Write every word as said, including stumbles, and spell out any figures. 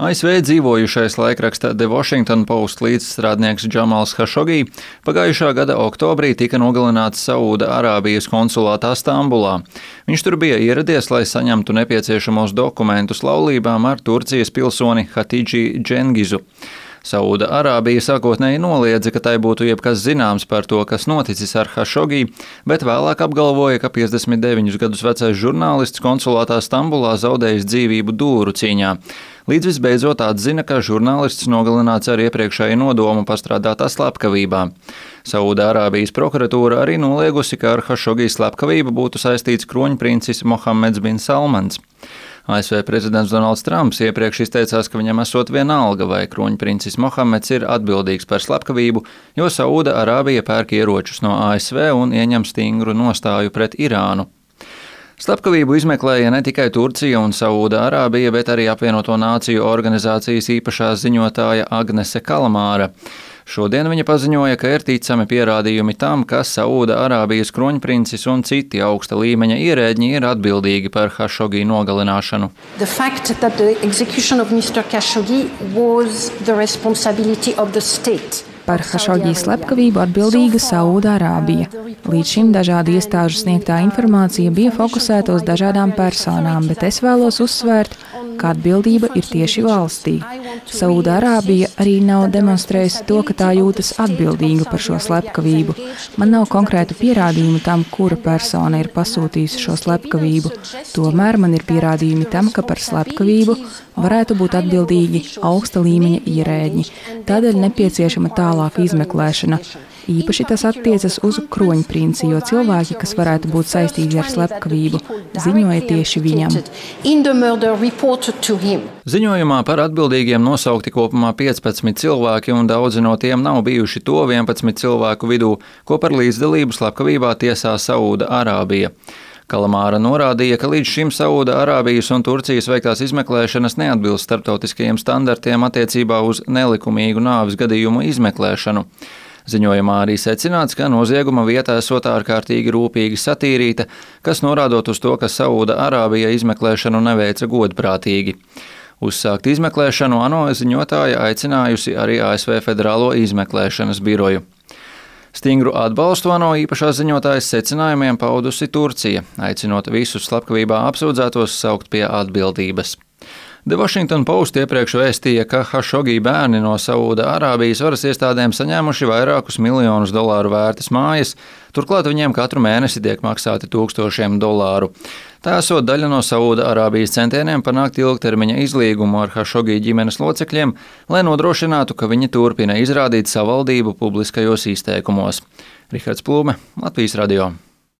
A S V dzīvojušais laikraksta The Washington Post līdzstrādnieks Džamals Hašogī pagājušā gada oktobrī tika nogalināts Saūda Arābijas konsulātā Stambulā. Viņš tur bija ieradies, lai saņemtu nepieciešamos dokumentus laulībām ar Turcijas pilsoni Hatidži Džengizu. Saūda Arābija sākotnēji noliedza, ka tai būtu jebkas zināms par to, kas noticis ar Hašogī, bet vēlāk apgalvoja, ka piecdesmit deviņus gadus vecais žurnālists konsulātā Stambulā zaudējis dzīvību dūru cīņā. Līdz visbeidzot atzina, ka žurnālists nogalināts ar iepriekšēju nodomu pastrādātā slepkavībā. Saūda Arābijas prokuratūra arī noliegusi, ka ar Hašogī slepkavību būtu saistīts kroņprincis Mohammeds bin Salmans. A S V prezidents Donalds Trumps iepriekš izteicās, ka viņam esot vienalga, vai kroņprincis Mohammeds ir atbildīgs par slepkavību, jo Saūda Arābija pērk ieročus no A S V un ieņem stingru nostāju pret Irānu. Slepkavību izmeklēja ne tikai Turcija un Saūda Arābija, bet arī Apvienoto Nāciju organizācijas īpašā ziņotāja Agnese Kalamāra. Šodien viņa paziņoja, ka ir ticami pierādījumi tam, ka Saūda Arābijas kroņprincis un citi augsta līmeņa ierēģi ir atbildīgi par Hašogī nogalināšanu. The fact that the execution of mister Khashoggi was the responsibility of the state. Par Hašogī slepkavību atbildīga Saūda Arābija. Līdz šim dažādu iestāžu sniegtā informācija bija fokusēta uz dažādām personām, bet es vēlos uzsvērt, ka atbildība ir tieši valstī. Saūda Arābija arī nav demonstrējusi to, ka tā jūtas atbildīga par šo slepkavību. Man nav konkrētu pierādījumu tam, kura persona ir pasūtījusi šo slepkavību. Tomēr man ir pierādījumi tam, ka par slepkavību varētu būt atbildīgi augsta līmeņa ierēģi. Tādēļ nepieciešama tālāka izmeklēšana. Īpaši tas attiecas uz kroņprinci, jo cilvēki, kas varētu būt saistīti ar slepkavību, ziņoja tieši viņam. Ziņojumā par atbildīgiem nosaukti kopumā piecpadsmit cilvēki, un daudzi no tiem nav bijuši to vienpadsmit cilvēku vidū, ko par līdzdalību slepkavībā tiesā Saūda Arābija. Kalamāra norādīja, ka līdz šim Saūda Arābijas un Turcijas veiktās izmeklēšanas neatbilst starptautiskajiem standartiem attiecībā uz nelikumīgu nāves gadījumu izmeklēšanu. Ziņojumā arī secināts, ka nozieguma vieta esot ārkārtīgi rūpīgi satīrīta, kas norādot uz to, ka Saūda Arābija izmeklēšanu neveica godprātīgi. Uzsākt izmeklēšanu ANO ziņotāja aicinājusi arī A S V Federālo izmeklēšanas biroju. Stingru atbalstu ANO īpašā ziņotājas secinājumiem paudusi Turcija, aicinot visus slepkavībā apsūdzētos saukt pie atbildības. The Washington Post iepriekš vēstīja, ka Hašogī bērni no Saūda Arābijas varas iestādēm saņēmuši vairākus miljonus dolāru vērtas mājas, turklāt viņiem katru mēnesi tiek maksāti tūkstošiem dolāru. Tā esot daļa no Saūda Arābijas centieniem panākt ilgtermiņa izlīgumu ar Hašogī ģimenes locekļiem, lai nodrošinātu, ka viņi turpina izrādīt savaldību publiskajos izteikumos. Rihards Plūme, Latvijas radio.